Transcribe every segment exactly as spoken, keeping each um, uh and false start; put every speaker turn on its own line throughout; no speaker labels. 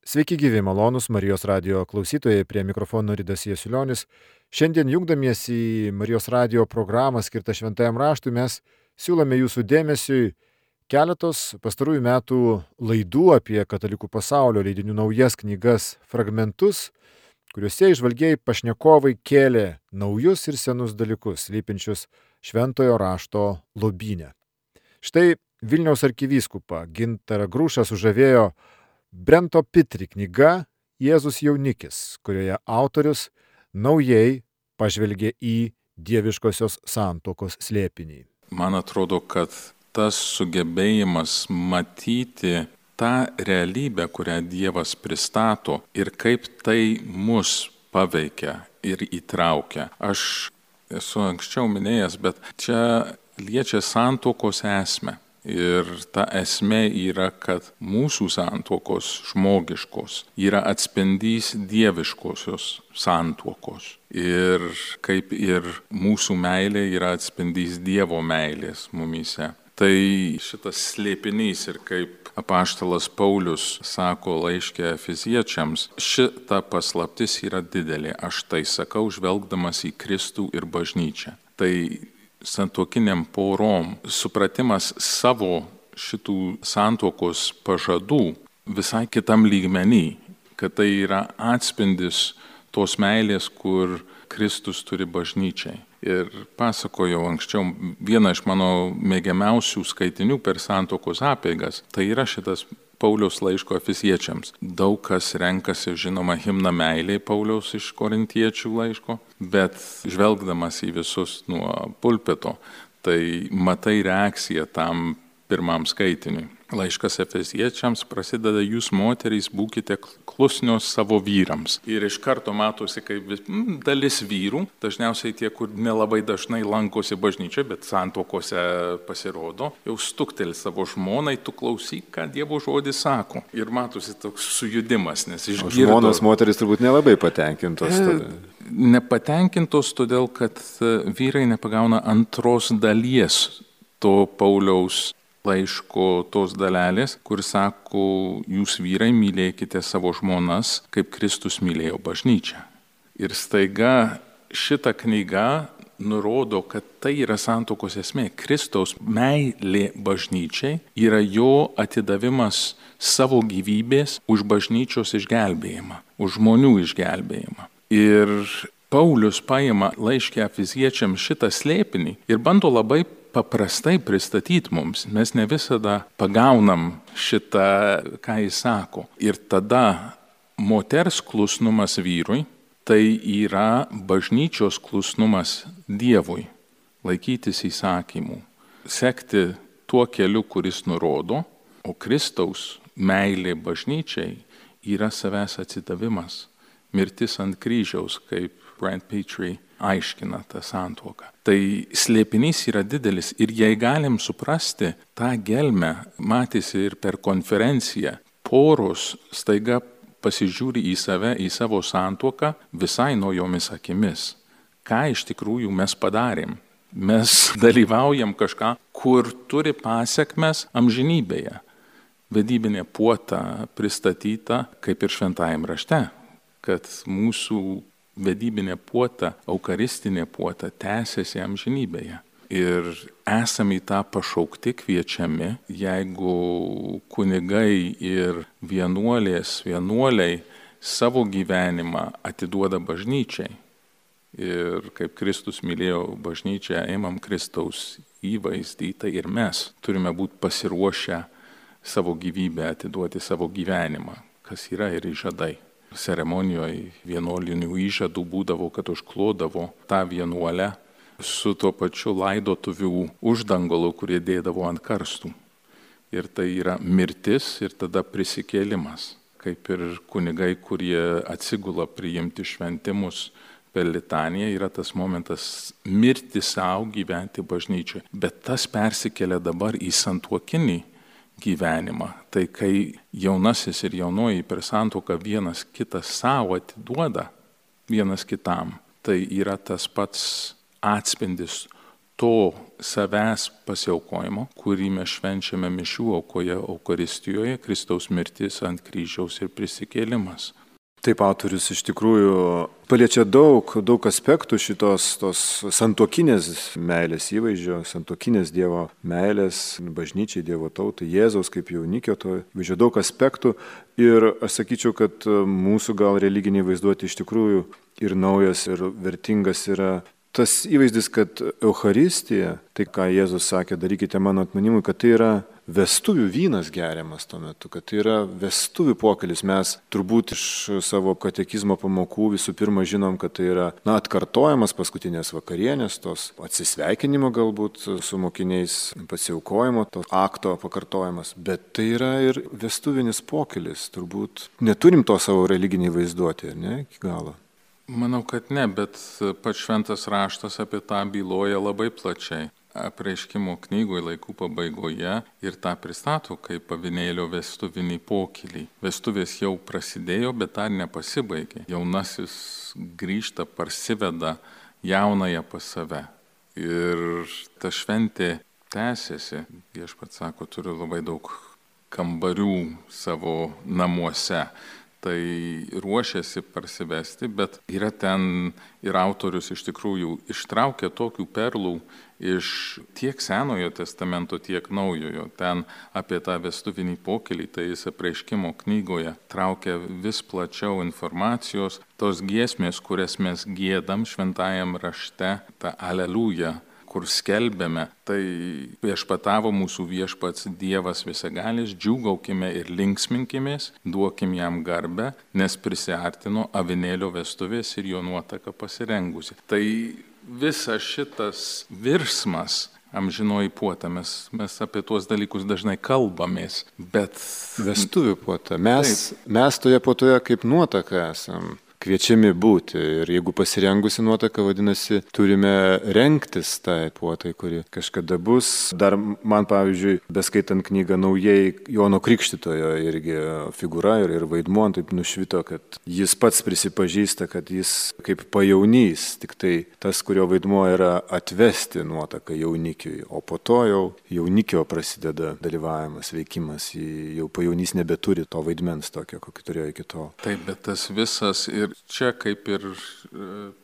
Sveiki gyvi, malonus Marijos radijo klausytojai, prie mikrofono Ridas Jasiulionis. Šiandien jungdamiesi į Marijos radijo programą skirtą Šventajam raštui, mes siūlome jūsų dėmesiui keletos pastarųjų metų laidų apie katalikų pasaulio leidinių naujas knygas fragmentus, kuriuose įžvalgieji pašnekovai kėlė naujus ir senus dalykus, slypinčius Šventojo rašto lobyne. Štai Vilniaus arkivyskupą Gintarą Grušą sužavėjo Brento Pitri knyga Jėzus jaunikis, kurioje autorius naujai pažvelgė į dieviškosios santuokos slėpinį.
Man atrodo, kad tas sugebėjimas matyti tą realybę, kurią Dievas pristato ir kaip tai mus paveikia ir įtraukia. Aš esu anksčiau minėjęs, bet čia liečia santuokos esmę. Ir ta esmė yra, kad mūsų santuokos žmogiškos yra atspindys dieviškosios santuokos. Ir kaip ir mūsų meilė yra atspindys Dievo meilės mumyse. Tai šitas slėpinys ir kaip apaštalas Paulius sako laiške Efeziečiams, šita paslaptis yra didelė. Aš tai sakau, žvelgdamas į Kristų ir bažnyčią. Tai santuokiniam porom supratimas savo šitų santuokos pažadų visai kitam lygmenį, kad tai yra atspindis tos meilės, kur Kristus turi bažnyčiai. Ir pasakojau anksčiau vieną iš mano mėgiamiausių skaitinių per santuokos apeigas, tai yra šitas Pauliaus laiško Efeziečiams. Daug kas renkasi, žinoma, himną meiliai Pauliaus iš Korintiečių laiško, bet žvelgdamas į visus nuo pulpito, tai matai reakciją tam pirmam skaitiniui. Laiškas Efeziečiams prasideda: jūs moterys būkite klusnios savo vyrams. Ir iš karto matosi, kaip mm, dalis vyrų, dažniausiai tie, kur nelabai dažnai lankosi bažnyčioje, bet santuokose pasirodo, jau stukteli savo žmonai, tu klausyk, ką Dievo žodis sako. Ir matosi toks sujudimas, nes išgirdo.
Žmonos moterys turbūt nelabai patenkintos. Tada.
Nepatenkintos todėl, kad vyrai nepagauna antros dalies to Pauliaus laiško tos dalelės, kur sako, jūs vyrai mylėkite savo žmonas, kaip Kristus mylėjo bažnyčią. Ir staiga šita knyga nurodo, kad tai yra santuokos esmė. Kristaus meilė bažnyčiai yra jo atidavimas savo gyvybės už bažnyčios išgelbėjimą, už žmonių išgelbėjimą. Ir Paulius paima laiške Efeziečiams šitą slėpinį ir bando labai paprastai pristatyti mums. Mes ne visada pagaunam šitą, ką jis sako. Ir tada moters klusnumas vyrui, tai yra bažnyčios klusnumas Dievui, laikytis įsakymų, sekti tuo keliu, kuris nurodo, o Kristaus meilė bažnyčiai yra savęs atsidavimas, mirtis ant kryžiaus, kaip Brent Pitri aiškina tą santuoką. Tai slėpinys yra didelis ir jei galim suprasti tą gelmę, matėsi ir per konferenciją, poros staiga pasižiūri į save, į savo santuoką visai naujomis akimis. Ką iš tikrųjų mes padarėm? Mes dalyvaujam kažką, kur turi pasekmes amžinybėje. Vedybinė puota pristatyta kaip ir Šventajam rašte, kad mūsų vedybinė puota, eucharistinė puota tęsiasi amžinybėje. Ir esame į tą pašaukti kviečiami, jeigu kunigai ir vienuolės, vienuoliai savo gyvenimą atiduoda bažnyčiai. Ir kaip Kristus mylėjo bažnyčią, ėmam Kristaus įvaizdį, tai ir mes turime būti pasiruošę savo gyvybę atiduoti, savo gyvenimą, kas yra ir įžadai. Ceremonijoje vienuolinių įžadų būdavo, kad užklodavo tą vienuolę su tuo pačiu laidotuvių uždangalu, kurie dėdavo ant karstų. Ir tai yra mirtis ir tada prisikėlimas, kaip ir kunigai, kurie atsigula priimti šventimus per litaniją, yra tas momentas mirti savo, gyventi bažnyčioje. Bet tas persikelia dabar į santuokinį gyvenimą. Tai kai jaunasis ir jaunoji per santuoką vienas kitą savo atiduoda vienas kitam, tai yra tas pats atspindis to savęs pasiaukojimo, kurį mes švenčiame mišių aukoje, Eucharistijoje, Kristaus mirtis ant kryžiaus ir prisikėlimas.
Taip, autorius iš tikrųjų paliečia daug, daug aspektų šitos tos santuokinės meilės įvaizdžio, santuokinės Dievo meilės, bažnyčiai, Dievo tautai, Jėzaus kaip jaunikio, to įvaizdžio daug aspektų. Ir aš sakyčiau, kad mūsų gal religiniai vaizduoti iš tikrųjų ir naujas, ir vertingas yra tas įvaizdis, kad Eucharistija, tai ką Jėzus sakė, darykite mano atminimui, kad tai yra vestuvių vynas geriamas tuo metu, kad tai yra vestuvių pokylis. Mes turbūt iš savo katekizmo pamokų visų pirma žinom, kad tai yra na, atkartojamas paskutinės vakarienės, tos atsisveikinimo galbūt su mokiniais, pasiaukojimo, to akto pakartojimas, bet tai yra ir vestuvinis pokylis. Turbūt neturim to savo religiniai vaizduoti, ne, iki galo.
Manau, kad ne, bet pats šventas raštas apie tą byloja labai plačiai. Apreiškimo knygoje laikų pabaigoje ir tą pristato kaip avinėlio vestuvinį pokylį. Vestuvės jau prasidėjo, bet dar nepasibaigė. Jaunasis grįžta, parsiveda jaunąją pas save. Ir ta šventė tęsiasi. Viešpats sako, turiu labai daug kambarių savo namuose. Tai ruošiasi parsivesti, bet yra ten ir autorius iš tikrųjų ištraukia tokių perlų iš tiek Senojo testamento, tiek Naujojo. Ten apie tą vestuvinį pokylį, tai jis Apreiškimo knygoje traukia vis plačiau informacijos. Tos giesmės, kurias mes giedam šventajam rašte, ta Aleliuja, kur skelbėme, tai viešpatavo mūsų viešpats Dievas visagalis, džiūgaukime ir linksminkimės, duokim jam garbę, nes prisiartino avinėlio vestuvės ir jo nuotaka pasirengusi. Tai visas šitas virsmas, amžinoji puota, mes, mes apie tuos dalykus dažnai kalbamės, bet...
Vestuvių puota. Mes, mes toje puotoje kaip nuotaka esam kviečiami būti. Ir jeigu pasirengusi nuotaka, vadinasi, turime rengtis tai puotai, kuri kažkada bus. Dar man, pavyzdžiui, beskaitant knygą naujai, Jono Krikštytojo irgi figūra ir, ir vaidmuo taip nušvito, kad jis pats prisipažįsta, kad jis kaip pajaunys, tik tai tas, kurio vaidmuo yra atvesti nuotaką jaunikiui, o po to jau jaunikio prasideda dalyvavimas, veikimas, jau pajaunys nebeturi to vaidmens tokio, kokį turėjo iki tol.
Taip, bet tas visas ir čia, kaip ir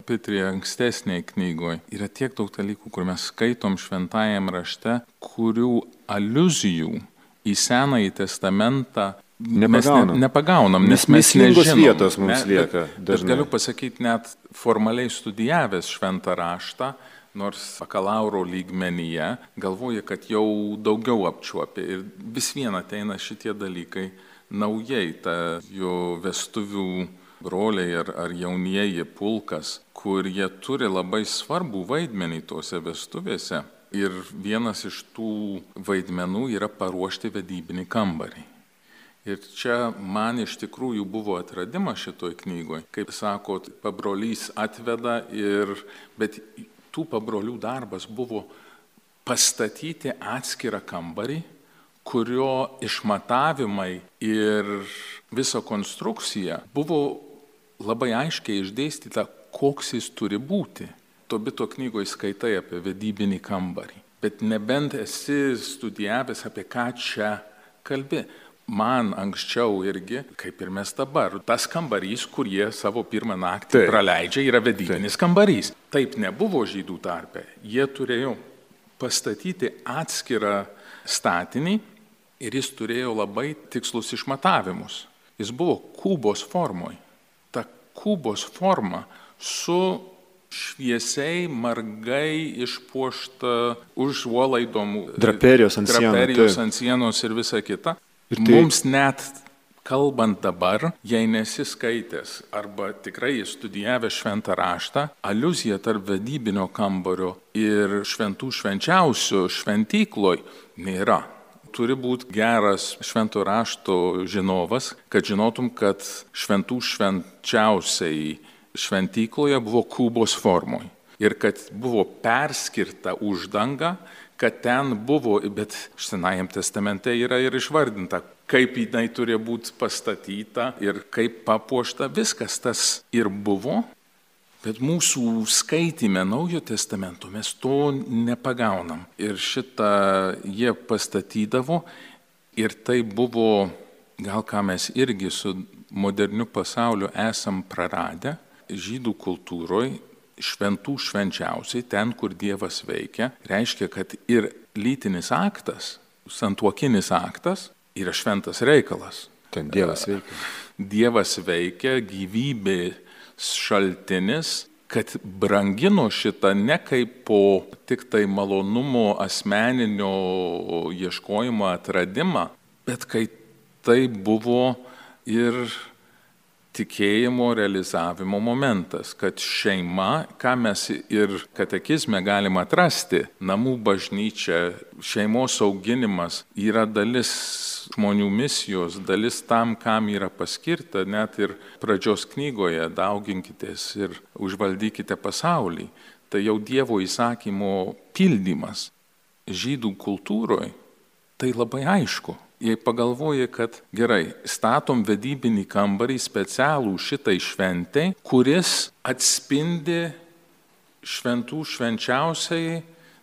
Petrija ankstesnėje knygoje, yra tiek daug dalykų, kur mes skaitom šventajam rašte, kurių aliuzijų į Senąjį testamentą
nepagaunam.
mes ne, nepagaunam, nes mes
nežinom.
Vietos
mums
ne,
lieka.
Bet, bet galiu pasakyti, net formaliai studijavęs šventą raštą, nors bakalauro lygmenyje, galvoja, kad jau daugiau apčiuopė ir vis vien ateina šitie dalykai naujai, ta jo vestuvių broliai ar, ar jaunieji pulkas, kur jie turi labai svarbų vaidmenį tose vestuvėse. Ir vienas iš tų vaidmenų yra paruošti vedybinį kambarį. Ir čia man iš tikrųjų buvo atradimas šitoj knygoje. Kaip sakot, pabrolys atveda, ir, bet tų pabrolių darbas buvo pastatyti atskirą kambarį, kurio išmatavimai ir visa konstrukcija buvo labai aiškiai išdėstyta, koks jis turi būti. Tobito knygoje skaitai apie vedybinį kambarį, bet nebent esi studijavęs, apie ką čia kalbi. Man anksčiau irgi, kaip ir mes dabar, tas kambarys, kur jie savo pirmą naktį Taip. praleidžia, yra vedybinis Taip. kambarys. Taip nebuvo žydų tarpe. Jie turėjo pastatyti atskirą statinį ir jis turėjo labai tikslus išmatavimus. Jis buvo kubos formoje. Ta kubos forma su šviesiai, margai išpuošta užuolaidom,
draperijos ant,
draperijos ant sienos ir visa kita. Ir tai... Mums net kalbant dabar, jei nesiskaitęs arba tikrai studijavęs šventą raštą, aliuzija tarp vedybinio kambario ir šventų švenčiausių šventykloj nėra. Turi būti geras švento rašto žinovas, kad žinotum, kad šventų švenčiausiai šventykloje buvo kubos formoje ir kad buvo perskirta uždanga, kad ten buvo, bet Senajam testamente yra ir išvardinta, kaip jinai turėjo būti pastatyta ir kaip papuošta, viskas tas ir buvo, Bet mūsų skaitime Naujo testamento mes to nepagaunam. Ir šitą jie pastatydavo ir tai buvo, gal ką mes irgi su moderniu pasauliu esam praradę, žydų kultūroje šventų švenčiausiai, ten, kur Dievas veikia, reiškia, kad ir lytinis aktas, santuokinis aktas yra šventas reikalas.
Ten Dievas veikia.
Dievas veikia, gyvybės šaltinis, kad brangino šitą ne kaip po tik tai malonumo asmeninio ieškojimo atradimą, bet kai tai buvo ir tikėjimo realizavimo momentas, kad šeima, ką mes ir katekizme galime atrasti, namų bažnyčia, šeimos auginimas yra dalis žmonių misijos, dalis tam, kam yra paskirta, net ir pradžios knygoje dauginkitės ir užvaldykite pasaulį. Tai jau Dievo įsakymo pildymas. Žydų kultūroje tai labai aišku. Jei pagalvoji, kad gerai, statom vedybinį kambarį specialų šitai šventai, kuris atspindi šventų švenčiausiai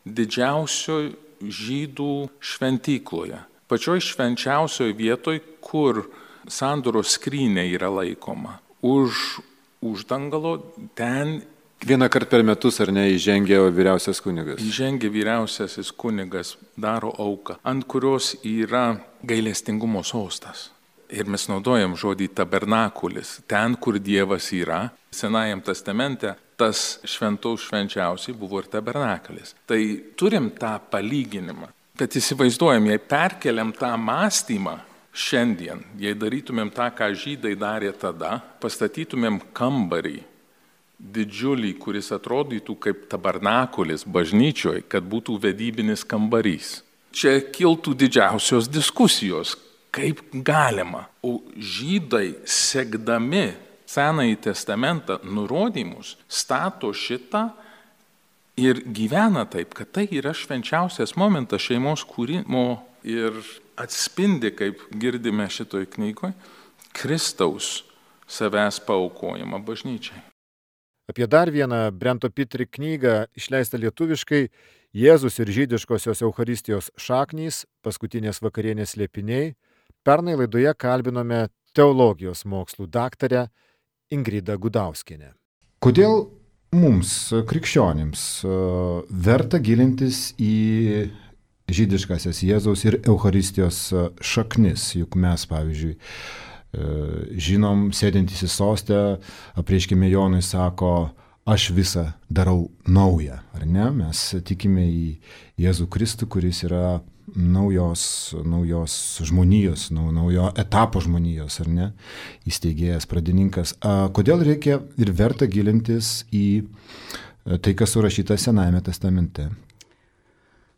didžiausio žydų šventykloje. Pačioj švenčiausioj vietoj, kur sandoros skrynė yra laikoma. Už uždangalo ten
Vieną kartą per metus, ar ne, įžengia vyriausias kunigas?
Įžengia vyriausiasis kunigas, daro auką, ant kurios yra gailestingumo sostas. Ir mes naudojam žodį tabernakulis. Ten, kur Dievas yra, Senajam testamente, tas šventos švenčiausiai buvo ir tabernakulis. Tai turim tą palyginimą. Bet įsivaizduojam, jei perkeliam tą mąstymą šiandien, jei darytumėm tą, ką žydai darė tada, pastatytumėm kambarį, didžiulį, kuris atrodytų kaip tabernakulis bažnyčioje, kad būtų vedybinis kambarys. Čia kiltų didžiausios diskusijos, kaip galima. O žydai, sekdami Senąjį testamentą nurodymus, stato šitą ir gyvena taip, kad tai yra švenčiausias momentas šeimos kūrimo ir atspindi, kaip girdime šitoj knygoje, Kristaus savęs paaukojimą bažnyčiai.
Apie dar vieną Brento Pitri knygą išleistą lietuviškai Jėzus ir žydiškosios Eucharistijos šaknys, paskutinės vakarienės slėpiniai, pernai laidoje kalbinome teologijos mokslų daktarę Ingridą Gudauskienę. Kodėl mums, krikščionims, verta gilintis į žydiškasias Jėzaus ir Eucharistijos šaknis? Juk mes, pavyzdžiui, žinom, sėdintys į sostę, apreiškime Jonui sako, aš visą darau naują, ar ne? Mes tikime į Jėzų Kristų, kuris yra naujos, naujos žmonijos, naujo etapo žmonijos, ar ne? Įsteigėjas, pradininkas. A, kodėl reikia ir verta gilintis į tai, kas surašyta Senajame testamente?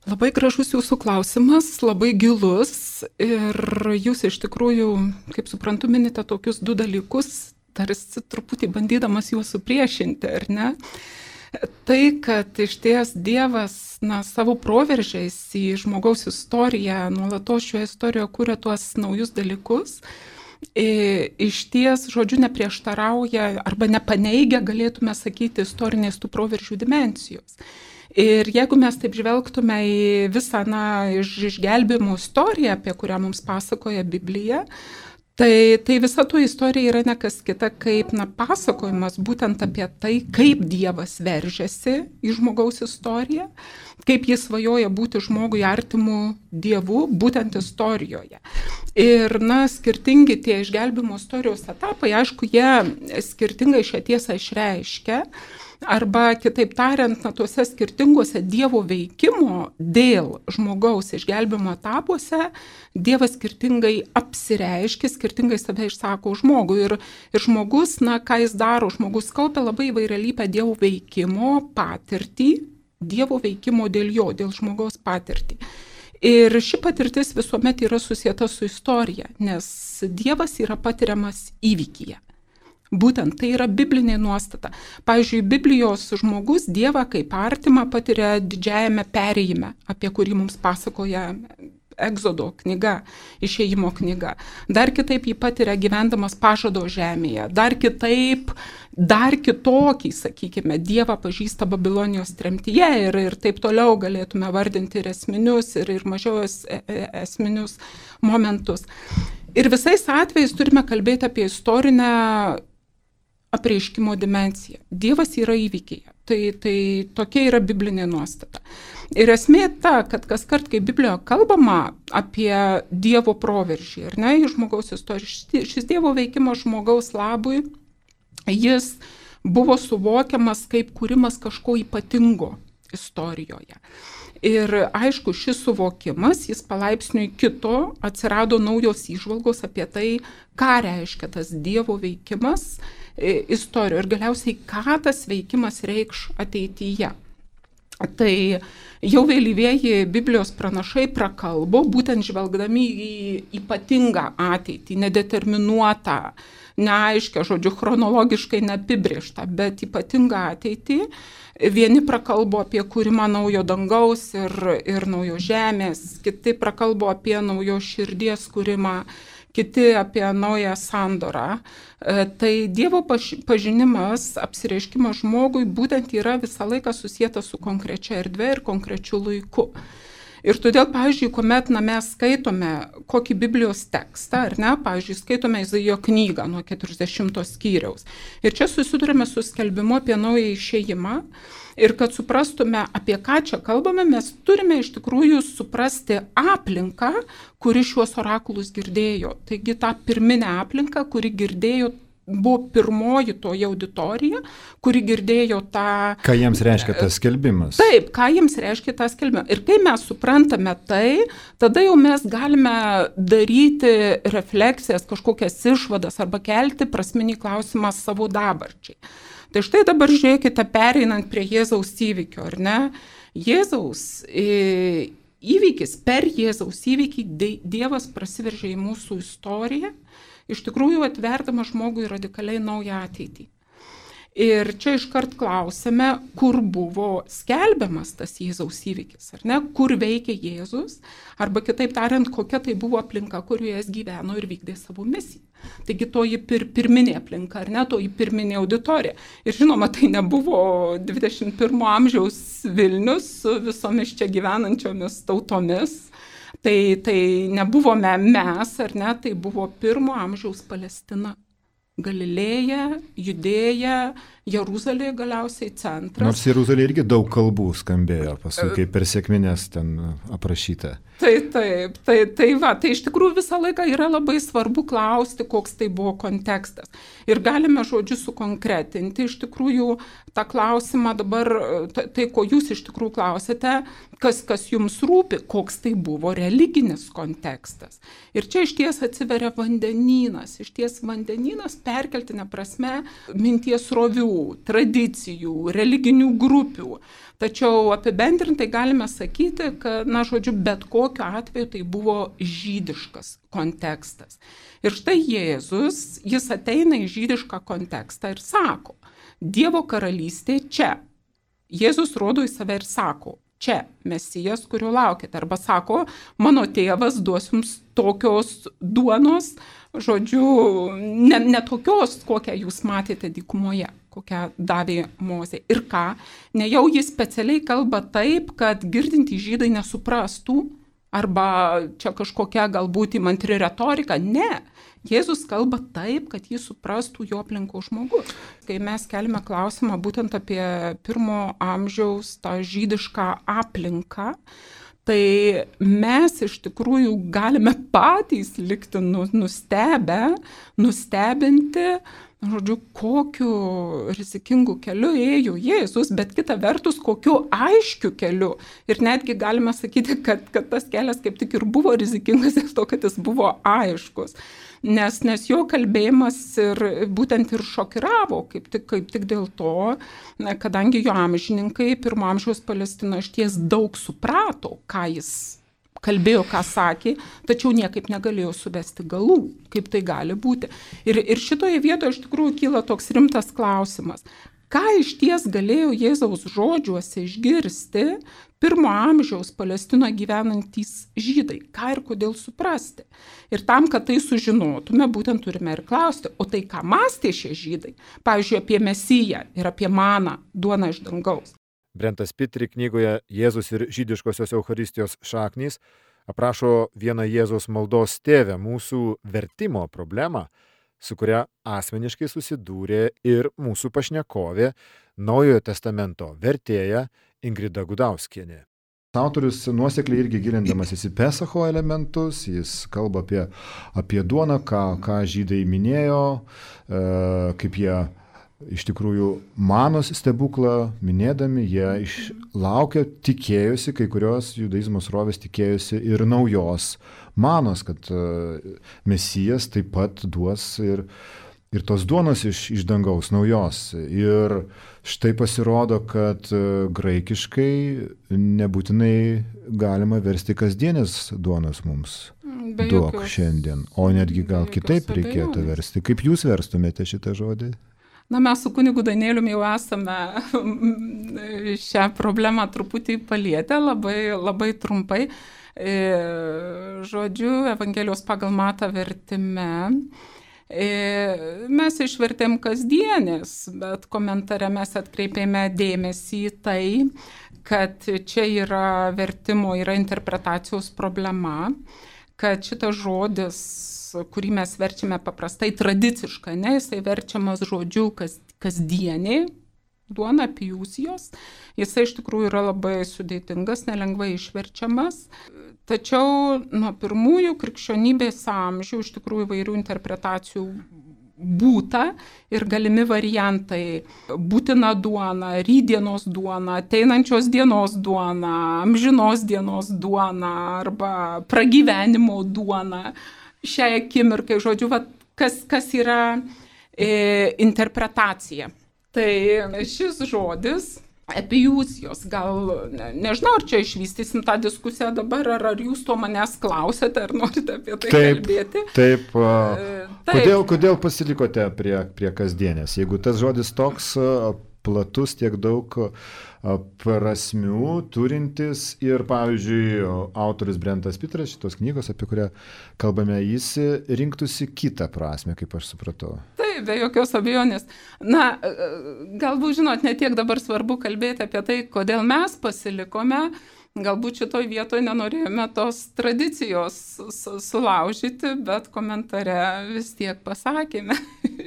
Labai gražus jūsų klausimas, labai gilus ir jūs iš tikrųjų, kaip suprantu, minite tokius du dalykus, tarsi truputį bandydamas juos supriešinti, ar ne? Tai, kad iš ties Dievas na, savo proveržiais į žmogaus istoriją, nuolatos šioje istorijoje kuria tuos naujus dalykus, iš ties, žodžiu, neprieštarauja arba nepaneigia, galėtume sakyti, istorinės tų proveržių dimensijos. Ir jeigu mes taip žvelgtume į visą na, išgelbėjimo istoriją, apie kurią mums pasakoja Biblija, tai, tai visa to istorija yra ne kas kita kaip na, pasakojimas būtent apie tai, kaip Dievas veržiasi į žmogaus istoriją, kaip jis svajoja būti žmogui artimu Dievu būtent istorijoje. Ir na, skirtingi tie išgelbėjimo istorijos etapai, aišku, jie skirtingai šią tiesą išreiškia. Arba, kitaip tariant, na, tuose skirtinguose Dievo veikimo dėl žmogaus išgelbėjimo etapuose Dievas skirtingai apsireiškia, skirtingai save išsako žmogui. Ir, ir žmogus, na, ką jis daro, žmogus kaupia labai įvairialypę Dievo veikimo patirtį, Dievo veikimo dėl jo, dėl žmogaus patirtį. Ir ši patirtis visuomet yra susieta su istorija, nes Dievas yra patiriamas įvykyje. Būtent tai yra biblinė nuostata. Pavyzdžiui, Biblijos žmogus Dievą kaip artimą patiria didžiajame perėjime, apie kurį mums pasakoja Egzodo knyga, išėjimo knyga. Dar kitaip jį patiria gyvendamas pažado žemėje. Dar kitaip, dar kitokį, sakykime, Dievą pažįsta Babilonijos tremtyje ir, ir taip toliau galėtume vardinti ir esminius, ir, ir mažiau es, esminius momentus. Ir visais atvejais turime kalbėti apie istorinę apreiškimo dimensiją. Dievas yra įvykyje. Tai, tai tokia yra biblinė nuostata. Ir esmė ta, kad kas kart, kai Biblijoje kalbama apie Dievo proveržį, ar ne, į žmogaus istoriją, šis Dievo veikimas žmogaus labui, jis buvo suvokiamas kaip kūrimas kažko ypatingo istorijoje. Ir aišku, šis suvokimas, jis palaipsniui kito, atsirado naujos įžvalgos apie tai, ką reiškia tas Dievo veikimas istorijoje ir galiausiai, ką tas veikimas reikš ateityje. Tai jau vėlyvieji Biblijos pranašai prakalbo, būtent žvelgdami į ypatingą ateitį, nedeterminuotą, neaiškę, žodžiu, chronologiškai neapibrėžtą, bet ypatingą ateitį. Vieni prakalbo apie kūrimą naujo dangaus ir, ir naujo žemės, kiti prakalbo apie naujo širdies kūrimą, kiti apie naują sandorą. Tai Dievo pažinimas, apsireiškimas žmogui būtent yra visą laiką susietas su konkrečia erdve ir konkrečiu laiku. Ir todėl, pavyzdžiui, kuomet na, mes skaitome kokį Biblijos tekstą, ar ne, pavyzdžiui, skaitome Izaijo knygą nuo keturiasdešimto skyriaus. Ir čia susidurime su skelbimu apie naują išėjimą. Ir kad suprastume, apie ką čia kalbame, mes turime iš tikrųjų suprasti aplinką, kuri šiuos orakulus girdėjo. Taigi tą pirminę aplinką, kuri girdėjo, buvo pirmoji toji auditorija, kuri girdėjo tą...
Ką jiems reiškia tas skelbimas?
Taip, ką jiems reiškia tas skelbimas. Ir kai mes suprantame tai, tada jau mes galime daryti refleksijas, kažkokias išvadas arba kelti prasminį klausimą savo dabarčiai. Tai štai dabar žiūrėkite, pereinant prie Jėzaus įvykio, ar ne? Jėzaus įvykis, per Jėzaus įvykį Dievas prasiveržė į mūsų istoriją, iš tikrųjų atverdamas žmogui radikaliai naują ateitį. Ir čia iškart klausime, kur buvo skelbiamas tas Jėzaus įvykis, ar ne? Kur veikia Jėzus, arba kitaip tariant, kokia tai buvo aplinka, kurioje jis gyveno ir vykdė savo misiją. Taigi toji pir, pirminė aplinka, ar ne, toji pirminė auditorija. Ir žinoma, tai nebuvo dvidešimt pirmo amžiaus Vilnius su visomis čia gyvenančiomis tautomis. Tai, tai nebuvome mes, ar ne, tai buvo pirmo amžiaus Palestina. Galilėja, Judėja, Jeruzalė galiausiai centras.
Nors Jeruzalė irgi daug kalbų skambėjo, paskui kaip per sekmines ten aprašyta.
Tai taip, tai, tai va, tai iš tikrųjų visą laiką yra labai svarbu klausti, koks tai buvo kontekstas. Ir galime žodžiu sukonkretinti iš tikrųjų tą klausimą dabar, tai, tai ko jūs iš tikrųjų klausėte, kas, kas jums rūpi, koks tai buvo religinis kontekstas. Ir čia iš ties atsiveria vandenynas, iš ties vandenynas perkeltinė prasme minties rovių, tradicijų, religinių grupių. Tačiau apibendrintai galime sakyti, kad, na, žodžiu, bet kokiu atveju tai buvo žydiškas kontekstas. Ir štai Jėzus, jis ateina į žydišką kontekstą ir sako, Dievo karalystė čia. Jėzus rodo į save ir sako, čia Mesijas, kurio laukite. Arba sako, mano tėvas duos jums tokios duonos, žodžiu, ne, ne tokios, kokią jūs matėte dykumoje, kokią davė Mozė. Ir ką? Ne jau jis specialiai kalba taip, kad girdintys žydai nesuprastų, arba čia kažkokia galbūt įmantri retorika. Ne. Jėzus kalba taip, kad jį suprastų jo aplinkos žmogus. Kai mes keliame klausimą būtent apie pirmo amžiaus tą žydišką aplinką, tai mes iš tikrųjų galime patys likti nustebę, nustebinti, žodžiu, kokiu rizikingu keliu ėjo Jėzus, bet kita vertus, kokiu aiškiu keliu. Ir netgi galime sakyti, kad, kad tas kelias kaip tik ir buvo rizikingas dėl to, kad jis buvo aiškus. Nes, nes jo kalbėjimas ir būtent ir šokiravo, kaip tik, kaip tik dėl to, kadangi jo amžininkai pirmo amžiaus Palestina išties daug suprato, ką jis kalbėjo, ką sakė, tačiau niekaip negalėjo suvesti galų, kaip tai gali būti. Ir, ir šitoje vietoje iš tikrųjų kyla toks rimtas klausimas. ką iš ties galėjo Jėzaus žodžiuose išgirsti pirmo amžiaus Palestinoje gyvenantys žydai, ką ir kodėl suprasti. Ir tam, kad tai sužinotume, būtent turime ir klausti, o tai ką mąstė šie žydai, pavyzdžiui, apie Mesiją ir apie maną, duoną iš dangaus.
Brentas Pitri knygoje Jėzus ir žydiškosios Eucharistijos šaknys aprašo vieną Jėzaus maldos tėvę, mūsų vertimo problemą, su kuria asmeniškai susidūrė ir mūsų pašnekovė, Naujojo testamento vertėja Ingrida Gudauskienė.
Autorius nuosekliai irgi gilindamasis į Pesacho elementus, jis kalba apie, apie duoną, ką, ką žydai minėjo, e, kaip jie iš tikrųjų manos stebuklą minėdami, jie išlaukė, tikėjosi, kai kurios judaizmo srovės tikėjosi ir naujos manos, kad Mesijas taip pat duos ir, ir tos duonos iš, iš dangaus naujos. Ir štai pasirodo, kad graikiškai nebūtinai galima versti kasdienės duonos mums.
Be
Duok
jokios,
šiandien, o netgi gal kitaip reikėtų
abejonės.
versti. Kaip jūs verstumėte šitą žodį?
Na, mes su kunigu Danieliumi jau esame šią problemą truputį palietę, labai, labai trumpai. Žodžiu, Evangelijos pagal Matą vertime mes išvertėm kasdienės, bet komentare mes atkreipėme dėmesį į tai, kad čia yra vertimo, yra interpretacijos problema, kad šitas žodis, kurį mes verčiame paprastai tradiciškai, ne, jisai verčiamas žodžiu kas, kasdienė, duona pijusijos, jisai iš tikrųjų yra labai sudėtingas, nelengvai išverčiamas. Tačiau nuo pirmųjų krikščionybės amžių iš tikrųjų įvairių interpretacijų būta ir galimi variantai: būtina duona, rytdienos duona, ateinančios dienos duona, amžinos dienos duona arba pragyvenimo duona. Šiai akimirkai, žodžiu, va, kas, kas yra e, interpretacija. Tai šis žodis, epijūsijos, gal, ne, nežinau, ar čia išvystysim tą diskusiją dabar, ar, ar jūs to manęs klausėte, ar norite apie tai
taip,
kalbėti.
Taip,
taip.
Kodėl, kodėl pasilikote prie, prie kasdienės? Jeigu tas žodis toks platus, tiek daug prasmių turintis ir, pavyzdžiui, autorius Brentas Pitras, šitos knygos, apie kurią kalbame, jis rinktųsi kitą prasmę, kaip aš supratau.
Taip, be jokios abejonės. Na, galbūt, žinot, ne tiek dabar svarbu kalbėti apie tai, kodėl mes pasilikome. Galbūt šitoj vietoje nenorėjome tos tradicijos sulaužyti, bet komentare vis tiek pasakėme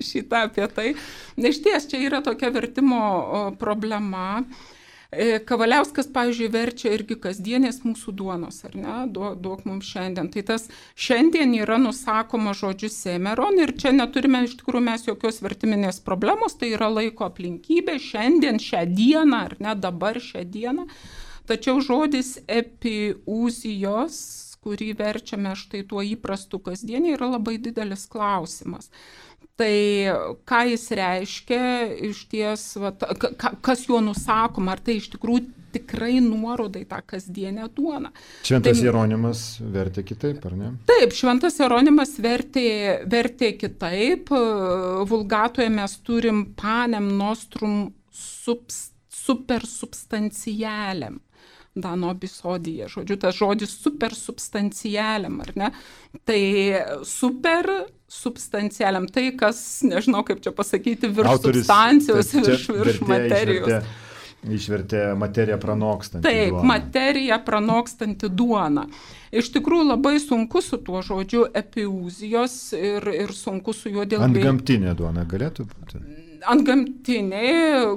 šitą apie tai. Iš ties, čia yra tokia vertimo problema. Kavaliauskas, pavyzdžiui, verčia irgi kasdienės mūsų duonos, ar ne, duok, duok mums šiandien. Tai tas šiandien yra nusakoma žodžiu semeron ir čia neturime iš tikrųjų mes jokios vertiminės problemos, tai yra laiko aplinkybė, šiandien, šią dieną, ar ne, dabar šią dieną. Tačiau žodis epiūzijos, kurį verčiame štai tuo įprastu kasdienį, yra labai didelis klausimas. Tai ką jis reiškia, iš ties, va, ka, kas juo nusakoma, ar tai iš tikrųjų tikrai nuoroda į tą kasdienę duoną.
Šventas
tai,
Jeronimas vertė kitaip, ar ne?
Taip, Šventas Jeronimas vertė, vertė kitaip. Vulgatoje mes turim panem nostrum subs, supersubstantialem. Dano bisodija, žodžiu, tas žodis supersubstantialem, ar ne? Tai supersubstantialem, tai kas, nežinau kaip čia pasakyti, virš Autorius, substancijos, virš, virš materijos.
Išvertė, išvertė materiją pranokstantį
Taip,
duoną.
materiją pranokstantį duoną. Iš tikrųjų labai sunku su tuo žodžiu epiūzijos ir, ir sunku su juo dėl...
Antgamtinė duona galėtų būti?
Antgamtinė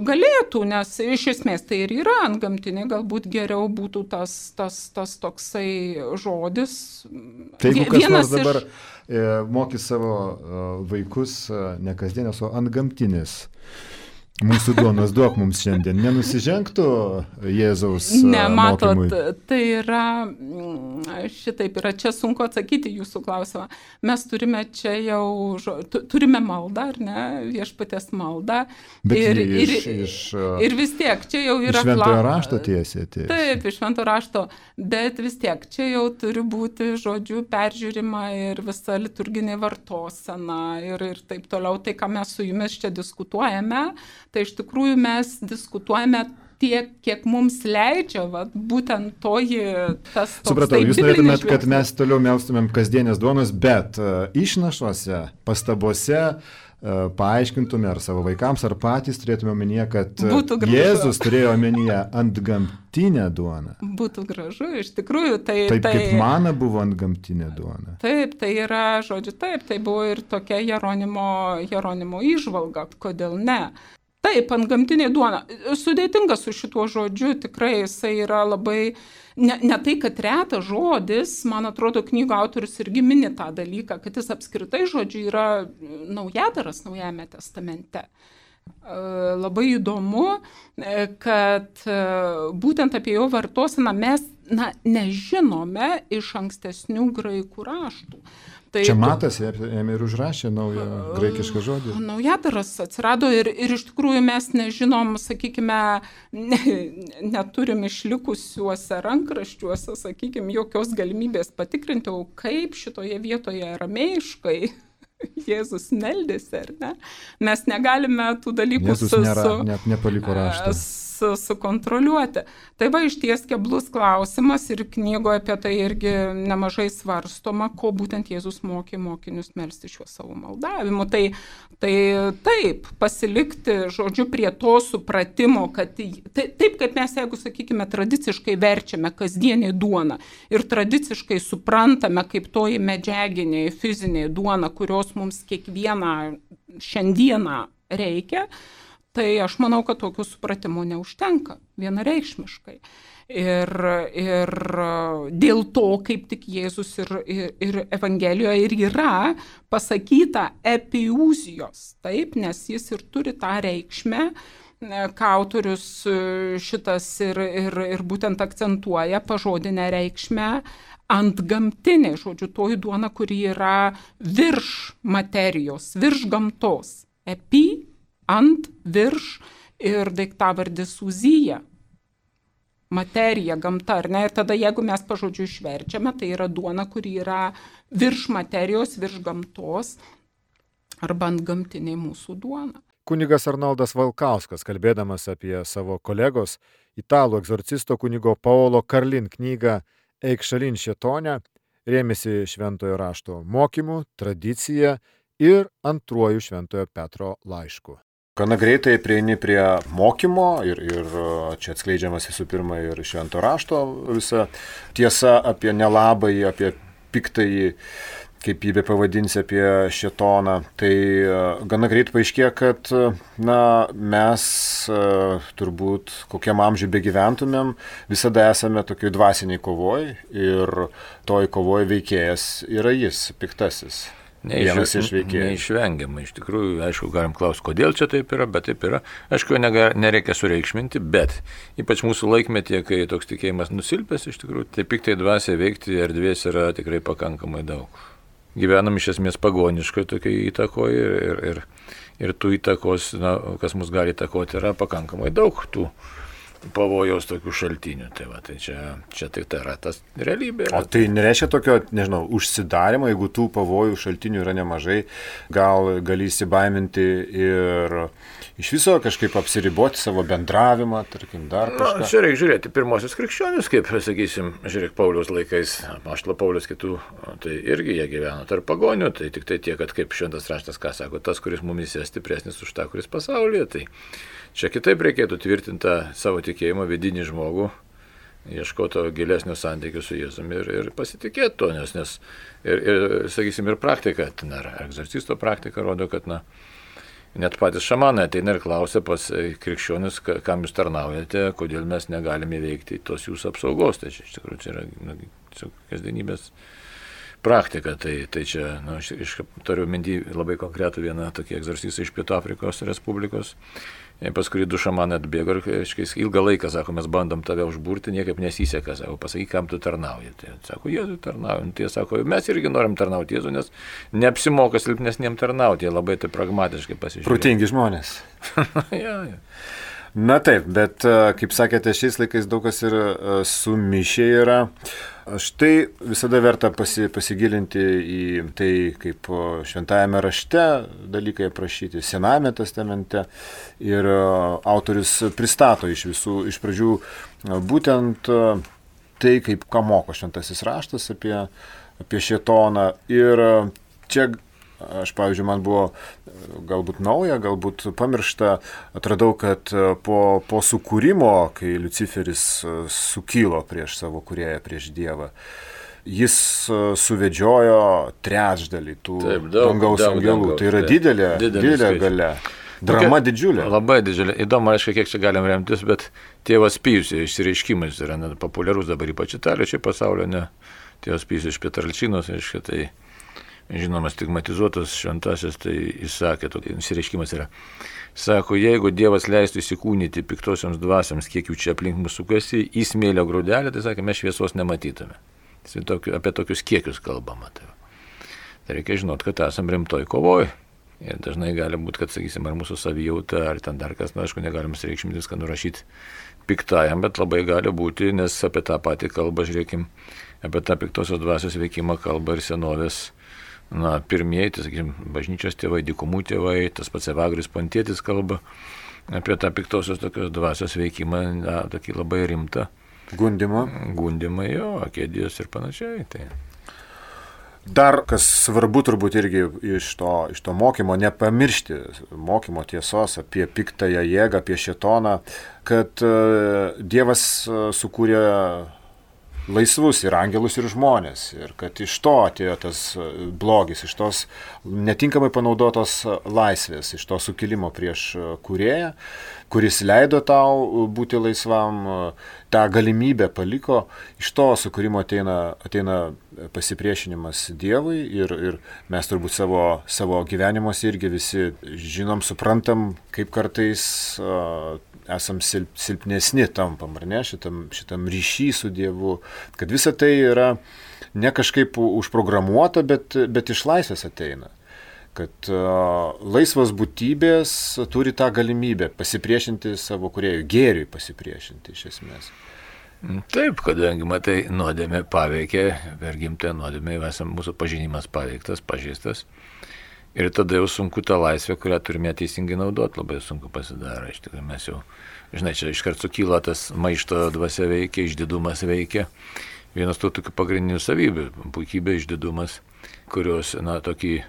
galėtų, nes iš esmės tai ir yra antgamtinė, galbūt geriau būtų tas, tas, tas toksai žodis.
Tai jeigu kas nors dabar
iš...
e, mokys savo e, vaikus e, ne kasdienės, o antgamtinės. Mūsų duonos duok mums šiandien. Nenusižengtų Jėzaus mokymui?
Ne, matot, tai yra, šitaip yra, čia sunku atsakyti jūsų klausimą. Mes turime čia jau, turime maldą, ar ne, viešpaties maldą.
Bet
ir,
iš,
ir,
iš,
ir vis tiek, čia jau yra...
Iš šventojo rašto tiesiai atėjus.
Taip, iš šventojo rašto, bet vis tiek, čia jau turi būti, žodžiu, peržiūrima ir visa liturginė vartosena ir, ir taip toliau. Tai, ką mes su jumis čia diskutuojame, Tai iš tikrųjų mes diskutuojame tiek, kiek mums leidžia, va, būtent toji tas toks.
Supratau, jūs norėtumėt, kad mes toliau melstumėm kasdienės duonos, bet uh, išnašuose, pastabose uh, paaiškintume ar savo vaikams, ar patys turėtume omenyje, kad uh, Jėzus turėjo omenyje antgamtinę duoną.
Būtų gražu, iš tikrųjų. Tai,
taip
tai,
kaip mana buvo antgamtinė duona.
Taip, tai yra, žodžiu, taip, tai buvo ir tokia Jeronimo, Jeronimo įžvalga, kodėl ne. Taip, antgamtinė duona. Sudėtinga su šituo žodžiu, tikrai jisai yra labai, ne, ne tai, kad retas žodis, man atrodo, knygų autorius irgi mini tą dalyką, kad jis apskritai žodžiu yra naujadaras Naujajame testamente. Labai įdomu, kad būtent apie jo vartoseną mes na, nežinome iš ankstesnių graikų raštų. Tai
čia Matas ėmė ir užrašė naują graikišką žodį.
Naujadaras atsirado ir, ir iš tikrųjų mes nežinom, sakykime, ne, neturim išlikusiuose rankraščiuose, sakykime, jokios galimybės patikrinti, o kaip šitoje vietoje aramėjiškai Jėzus meldėsi, ar ne? Mes negalime tų dalykų
Jėzus nėra, su, net nepaliko raštą.
Su, sukontroliuoti. Tai va išties keblus klausimas ir knygoje apie tai irgi nemažai svarstoma, ko būtent Jėzus mokė mokinius melsti šiuo savo maldavimu. Tai, tai taip, pasilikti, žodžiu, prie to supratimo, kad tai, taip kaip mes, jeigu, sakykime, tradiciškai verčiame kasdienį duoną ir tradiciškai suprantame kaip toji medžiaginė, fizinė duona, kurios mums kiekvieną šiandieną reikia, tai aš manau, kad tokių supratimų neužtenka vienareikšmiškai. Ir, ir dėl to, kaip tik Jėzus ir, ir, ir Evangelijoje ir yra pasakyta epiūzijos, taip, nes jis ir turi tą reikšmę, ką autorius šitas ir, ir, ir būtent akcentuoja pažodinę reikšmę antgamtinė, žodžiu, toji duona, kuri yra virš materijos, virš gamtos. Epi, ant, virš ir daiktavardis uzija. Materija, gamta, ar ne? Ir tada, jeigu mes pažodžiu išverčiame, tai yra duona, kuri yra virš materijos, virš gamtos arba antgamtinė mūsų duona.
Kunigas Arnoldas Valkauskas, kalbėdamas apie savo kolegos, italų egzorcisto kunigo Paolo Karlin knygą Eik šalin šėtone, rėmėsi šventojo rašto mokymu, tradicija ir antruoju šventojo Petro laišku.
Gana greitai prieini prie mokymo ir, ir čia atskleidžiamas visų pirma ir švento rašto visa tiesa apie nelabąjį, apie piktąjį, kaip jį be pavadinsi, apie šėtoną. Tai gana greit paaiškėjo, kad na, mes turbūt kokiam amžiui begyventumėm, visada esame tokioj dvasiniai kovoj ir toj kovoj veikėjas yra jis, piktasis. Vienas iš veikėjų.
Neišvengiamai, iš tikrųjų, aišku, galim klausti, kodėl čia taip yra, bet taip yra. Aišku, nereikia sureikšminti, bet ypač mūsų laikmetyje, kai toks tikėjimas nusilpęs, iš tikrųjų, tai piktai dvasiai veikti erdvės yra tikrai pakankamai daug. Gyvenam iš esmės pagoniškai tokiai įtakoje ir, ir, ir, ir tų įtakos, na, kas mus gali įtakoti, yra pakankamai daug tų pavojaus tokių šaltinių. Tai, va, tai čia, čia tai, tai yra tas realybė.
O tai nereiškia tokio, nežinau, užsidarimo, jeigu tų pavojų šaltinių yra nemažai, gal gali įsibaiminti ir iš viso kažkaip apsiriboti savo bendravimą, tarkim, dar kažką.
Na, čia reikia žiūrėti pirmosius krikščionius, kaip, sakysim, žiūrėk, Pauliaus laikais, apaštalo Pauliaus kitų, tai irgi jie gyveno tarp pagonių, tai tik tai tiek, kad kaip šventas raštas, ką sako, tas, kuris mumyse stipresnis už tą, kuris pasaulyje, tai čia kitaip reikėtų tvirtinti savo tikėjimą vidinį žmogų, ieškoto gilesnio santykių su Jėzumi ir, ir pasitikėti to, nes, nes ir, ir, sakysim, ir praktika, ten, ar egzorcisto praktika rodo, kad, na, net patys šamanai ateina ir klausia pas krikščionis, kam jūs tarnaujate, kodėl mes negalime įveikti tos jūsų apsaugos. Tai čia iš tikrųjų čia yra na, kasdienybės praktika. Tai, tai čia, na, aš, aš turiu minty labai konkretų vieną tokį egzorcistą iš Pietų Afrikos Respublikos. Pas kurį du šamanai atbėgo ir kažkaip ilgą laiką, sako, mes bandom tave užburti, niekaip nesiseka, sako, pasakyk, kam tu tarnauji. Tai sako, Jėzui tarnaujam. Tai sako, mes irgi norim tarnauti Jėzui, nes neapsimoka silpnesniem tarnauti, jie labai tai pragmatiškai pasižiūrėjo.
Protingi žmonės.
ja, ja.
Na taip, bet kaip sakėte, šiais laikais daug kas ir sumišė yra. Štai visada verta pasi, pasigilinti į tai, kaip šventajame rašte dalykai aprašyti, Senajame testamente. Ir autorius pristato iš visų, iš pradžių būtent tai, kaip ką moko šventasis raštas apie, apie šėtoną. Ir čia aš, pavyzdžiui, man buvo galbūt nauja, galbūt pamiršta, atradau, kad po, po sukūrimo, kai Liuciferis sukilo prieš savo kūrėją, prieš Dievą, jis suvedžiojo trečdalį tų Taip, daug, dangaus daug, angelų. Dangaus, tai yra didelė, didelė galia. Drama Tokia, didžiulė.
Labai didžiulė. Įdomu, aišku, kiek čia galim remtis, bet tėvas Pijus išsireiškimas yra net populiarus dabar ypač Italijoje, čia pasaulio, ne. Tėvas Pijus iš Pietralčinos, aišku, tai žinomas stigmatizuotas šventasis, tai jis sakė, tokia išsireiškimas yra. Sako, jeigu Dievas leistų įsikūnyti piktosioms dvasiams, kiek jų čia aplink mūsų sukasi, į smėlio grūdelį, tai sakė, mes šviesos nematytume. Tai apie tokius kiekius kalbama. Tai, tai reikia žinot, kad esam rimtoj kovoj. Ir dažnai gali būti, kad, sakysim, ar mūsų savijauta, ar ten dar kas, na, aišku, negalim reikšmintis, kad nurašyti piktajam, bet labai gali būti, nes apie tą patį kalbą, žiūrėkim, apie tą piktosios dvasios veikimą kalba ir senovės. Na, pirmieji, tai, sakysim, bažnyčios tėvai, dykumų tėvai, tas pats Evagrius Pontietis kalba apie tą piktosios tokios dvasios veikimą, na, tokį labai rimtą.
Gundimą.
Gundimą, jo, akėdijos ir panašiai. Tai.
Dar, kas svarbu turbūt irgi iš to, iš to mokymo, nepamiršti mokymo tiesos apie piktąją jėgą, apie šėtoną, kad uh, Dievas uh, sukūrė laisvus ir angelus, ir žmonės. Ir kad iš to atėjo tas blogis, iš tos netinkamai panaudotos laisvės, iš to sukilimo prieš kūrėją, kuris leido tau būti laisvam, tą galimybę paliko. Iš to sukūrimo ateina, ateina pasipriešinimas Dievui ir, ir mes turbūt savo, savo gyvenimuose irgi visi žinom, suprantam, kaip kartais uh, esam silp, silpnesni tampam, ar ne, šitam, šitam ryšy su Dievu, kad visa tai yra ne kažkaip užprogramuota, bet, bet iš laisvės ateina. Kad uh, laisvos būtybės turi tą galimybę pasipriešinti savo kūrėjui, gėriui pasipriešinti iš esmės.
Taip, kadangi, matai, nuodėmė paveikė, per gimtąją nuodėmę esam, mūsų pažinimas paveiktas, pažeistas. Ir tada jau sunku tą laisvę, kurią turime teisingai naudoti, labai sunku pasidaro. Iš tikrųjų, mes jau, žinai, čia iškart sukyla tas maišto dvasia veikia, išdidumas veikia. Vienas tų tokių pagrindinių savybių, puikybė, išdidumas, kurios, na, tokį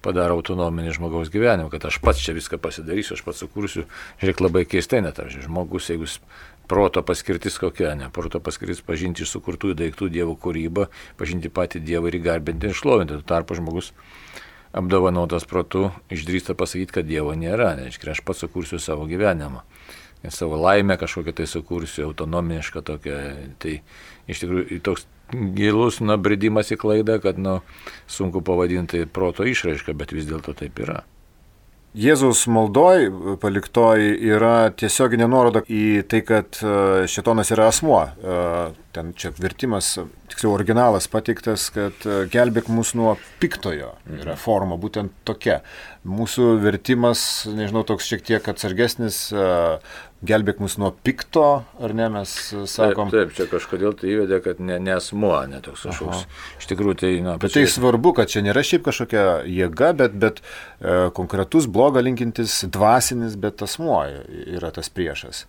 padaro autonominį žmogaus gyvenimą, kad aš pats čia viską pasidarysiu, aš pats sukursiu. Žiūrėk, labai keistai net, ar žmogus, jeigu proto paskirtis kokia, ne, proto paskirtis pažinti iš sukurtųjų daiktų Dievo kūrybą, pažinti patį Dievą ir įgarbinti ir šlovinti. Tuo tarpu žmogus apdovanotas protu išdrįsta pasakyti, kad Dievo nėra, reiškia, aš pats sukursiu savo gyvenimą. Ir savo laimę kažkokią tai sukursiu, autonomišką tokią. Tai iš tikrųjų toks gilus nubridimas į klaidą, kad nu, sunku pavadinti proto išraišką, bet vis dėlto taip yra.
Jėzaus maldoj paliktoj yra tiesioginė nuoroda į tai, kad šėtonas yra asmuo. Ten čia vertimas, tiksliau originalas pateiktas, kad gelbėk mus nuo piktojo. Yra forma būtent tokia. Mūsų vertimas, nežinau, toks šiek tiek atsargesnis, gelbėk mus nuo pikto, ar ne, mes sakom.
Taip, taip, čia kažkodėl tai įvedė, kad ne, ne asmuo, ne toks kažkoks. Iš tikrųjų, tai... Na,
bet tai svarbu, kad čia nėra šiaip kažkokia jėga, bet, bet e, konkretus blogą linkintis dvasinis, bet asmuo yra tas priešas.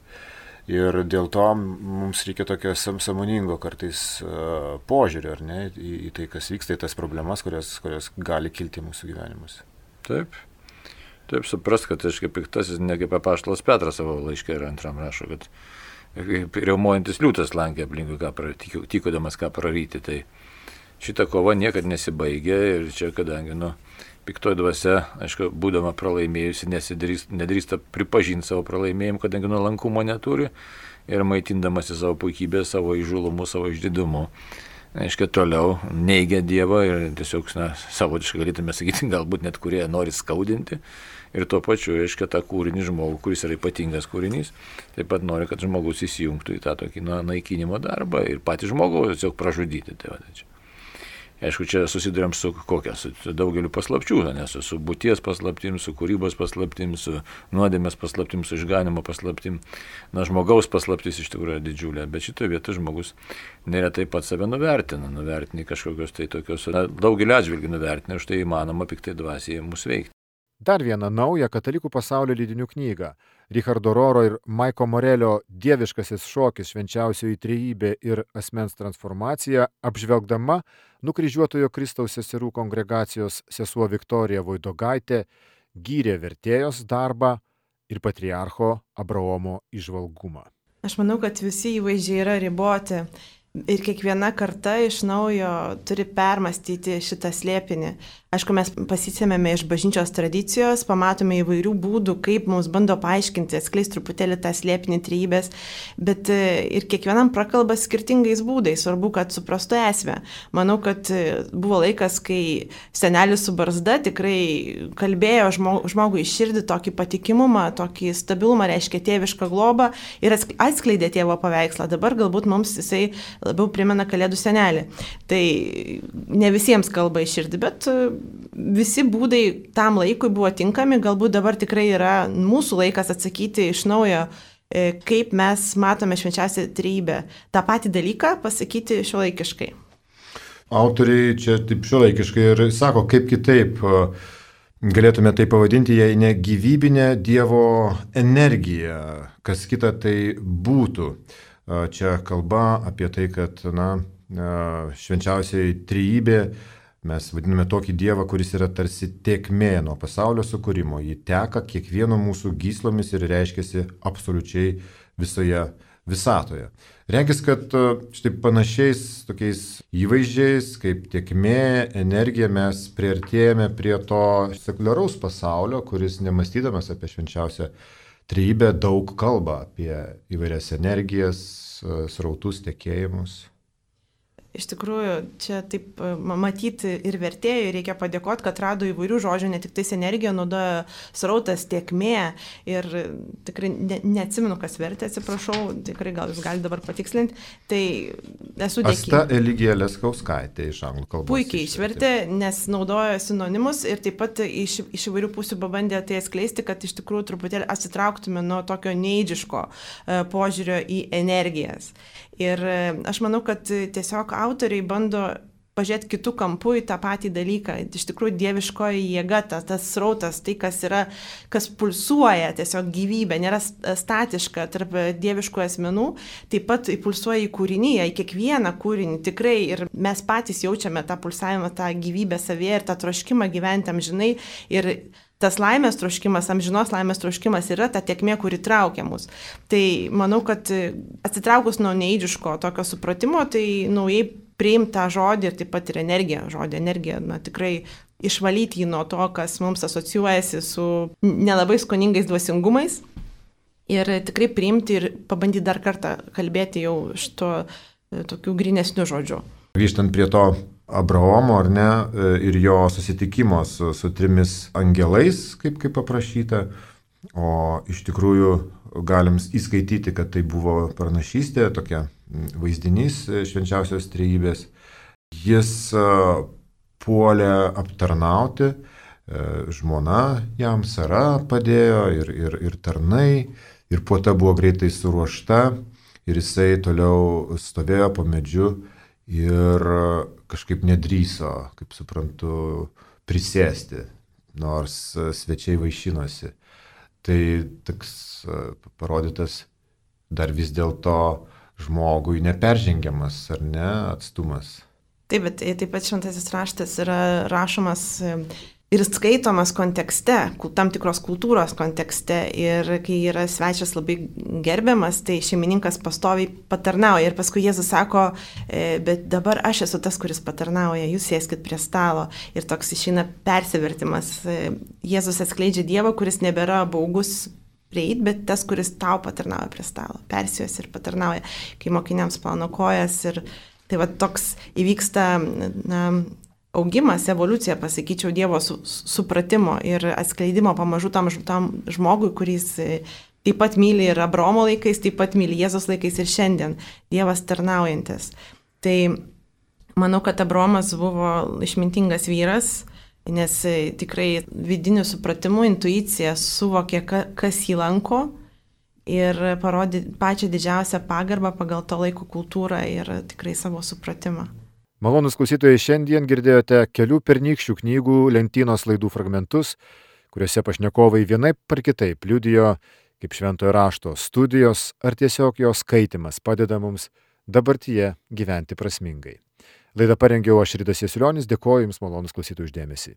Ir dėl to mums reikia tokio sąmoningo kartais uh, požiūrio, ar ne, į, į tai, kas vyksta, į tas problemas, kurios, kurios gali kilti mūsų gyvenimus.
Taip. Taip, suprast, kad aš kaip piktasis, ne kaip apaštalas Petras savo laiške ir antram rašo, kad riaumojantis liūtas lankė aplinkui, ką pra, tykodamas ką praryti. Tai šita kova niekad nesibaigė ir čia, kadangi, nu, piktoji dvasia, aišku, būdama pralaimėjusi, nedrįsta pripažinti savo pralaimėjimą, kadangi nuolankumo neturi ir maitindamasi savo puikybę, savo įžulumu, savo išdidumu. Aišku, toliau neigia Dievą ir tiesiog, na, savotiškai galėtume sakyti, galbūt net kurie nori skaudinti. Ir tuo pačiu, aišku, tą kūrinį žmogų, kuris yra ypatingas kūrinys, taip pat nori, kad žmogus įsijungtų į tą tokį na, naikinimo darbą ir patį žmogų tiesiog pražudyti. Tai va, čia. Aišku, čia susidurėm su kokia, su daugeliu paslapčių, nes su būties paslaptim, su kūrybos paslaptim, su nuodėmės paslaptim, su išganimo paslaptim. Na, žmogaus paslaptis iš tikrųjų yra didžiulė, bet šitoje vietoje žmogus neretai pats save nuvertina, nuvertina kažkokios tai tokios, na, daugelį atžvilgių nuvertina, už tai įmanoma piktai dvasiai mus veikti.
Dar vieną naują katalikų pasaulio leidinių knygą Richardo Roro ir Maiko Morelio Dieviškasis šokis, švenčiausioji trejybė ir asmens transformacija, apžvelgdama nukryžiuotojo Kristaus seserų kongregacijos sesuo Viktorija Voidogaitė gyrė vertėjos darbą ir patriarcho Abraomo įžvalgumą.
Aš manau, kad visi įvaizdžiai yra riboti. Ir kiekviena karta iš naujo turi permastyti šitą slėpinį. Aišku, mes pasisėmėme iš bažnyčios tradicijos, pamatome įvairių būdų, kaip mums bando paaiškinti, atskleisti truputėlį tą slėpinį trejybės, bet ir kiekvienam prakalba skirtingais būdais, svarbu, kad suprastų esmę. Manau, kad buvo laikas, kai senelis su barzda tikrai kalbėjo žmogui iš širdį tokį patikimumą, tokį stabilumą, reiškia tėvišką globą ir atskleidė tėvo paveikslą. Dabar galbūt mums jisai labiau primena Kalėdų senelį. Tai ne visiems kalba iš širdį, bet visi būdai tam laikui buvo tinkami, galbūt dabar tikrai yra mūsų laikas atsakyti iš naujo, kaip mes matome švenčiausią trejybę. Ta patį dalyką pasakyti šiuolaikiškai.
Autoriai čia taip šiuolaikiškai ir sako, kaip kitaip galėtume tai pavadinti, jei ne gyvybinė Dievo energija, kas kita tai būtų. Čia kalba apie tai, kad na, švenčiausiai trejybė, mes vadiname tokį Dievą, kuris yra tarsi tėkmė nuo pasaulio sukūrimo. Ji teka kiekvieno mūsų gyslomis ir reiškiasi absoliučiai visoje visatoje. Regis, kad štai panašiais tokiais įvaizdžiais, kaip tėkmė, energija, mes priartėjame prie to sekuliaraus pasaulio, kuris nemastydamas apie švenčiausią trejybė daug kalba apie įvairias energijas, srautus, tekėjimus.
Iš tikrųjų, čia taip matyti ir vertėjai reikia padėkoti, kad rado įvairių žodžių, ne tik tais energija, naudoja srautas, tėkmė ir tikrai ne, neatsimenu, kas vertė, atsiprašau, tikrai gal jūs galite dabar patikslinti. Tai esu dėkinga.
Asta Eligija Leskauskaitė iš anglų kalbos.
Puikiai išvertė, nes naudojo sinonimus ir taip pat iš, iš įvairių pusių pabandė tai atskleisti, kad iš tikrųjų truputėlį atsitrauktume nuo tokio neidžiško požiūrio į energijas. Ir aš manau, kad tiesiog autoriai bando pažiūrėti kitų kampų į tą patį dalyką. Iš tikrųjų, dieviškoji jėga, tas, tas srautas, tai kas yra, kas pulsuoja, tiesiog gyvybė, nėra statiška tarp dieviškų asmenų, taip pat pulsuoja į kūrinyje, į kiekvieną kūrinį tikrai ir mes patys jaučiame tą pulsavimą, tą gyvybę savyje ir tą troškimą gyventi amžinai ir tas laimės troškimas, amžinos laimės troškimas yra ta tėkmė, kuri traukia mus. Tai manau, kad atsitraukus nuo neįdžiško tokio supratimo, tai naujai priimti tą žodį ir taip pat ir energiją. Žodį energiją, na tikrai išvalyti jį nuo to, kas mums asocijuojasi su nelabai skoningais dvasingumais. Ir tikrai priimti ir pabandyti dar kartą kalbėti jau šito tokių grynesnių žodžių.
Grįžtant prie to Abraomo, ar ne, ir jo susitikimo su, su trimis angelais, kaip, kaip paprašyta, o iš tikrųjų galim įskaityti, kad tai buvo pranašystė, tokia vaizdinys švenčiausios trejybės. Jis puolė aptarnauti, žmona jam Sara padėjo ir, ir, ir tarnai, ir puota buvo greitai suruošta, ir jisai toliau stovėjo po medžiu ir kažkaip nedrįso, kaip suprantu, prisėsti, nors svečiai vaišinosi. Tai toks parodytas dar vis dėlto žmogui neperžengiamas, ar ne, atstumas.
Taip, bet taip pat šventasis raštas yra rašomas ir skaitomas kontekste, tam tikros kultūros kontekste. Ir kai yra svečias labai gerbiamas, tai šeimininkas pastoviai patarnauja. Ir paskui Jėzus sako, bet dabar aš esu tas, kuris patarnauja, jūs sėskit prie stalo. Ir toks išeina persivertimas. Jėzus atskleidžia Dievą, kuris nebėra baugus prieit, bet tas, kuris tau patarnauja prie stalo. Persijos ir patarnauja, kai mokiniams plauna kojas. Ir tai va toks įvyksta na, augimas, evoliucija, pasakyčiau, Dievo su, supratimo ir atskleidimo pamažu tam, tam žmogui, kuris taip pat myli ir Abraomo laikais, taip pat myli Jėzos laikais ir šiandien, Dievas tarnaujantis. Tai Manau, kad Abraomas buvo išmintingas vyras, nes tikrai vidiniu supratimu, intuicija suvokė, kas jį lanko ir parodė pačią didžiausią pagarbą pagal to laiko kultūrą ir tikrai savo supratimą.
Malonus klausytojai, šiandien girdėjote kelių pernykščių knygų lentynos laidų fragmentus, kuriuose pašnekovai vienaip par kitaip liudijo, kaip šventojo rašto studijos ar tiesiog jos skaitimas padeda mums dabartyje gyventi prasmingai. Laidą parengiau aš, Ridas Jasiulionis, dėkoju Jums, malonus klausytojų, už dėmesį.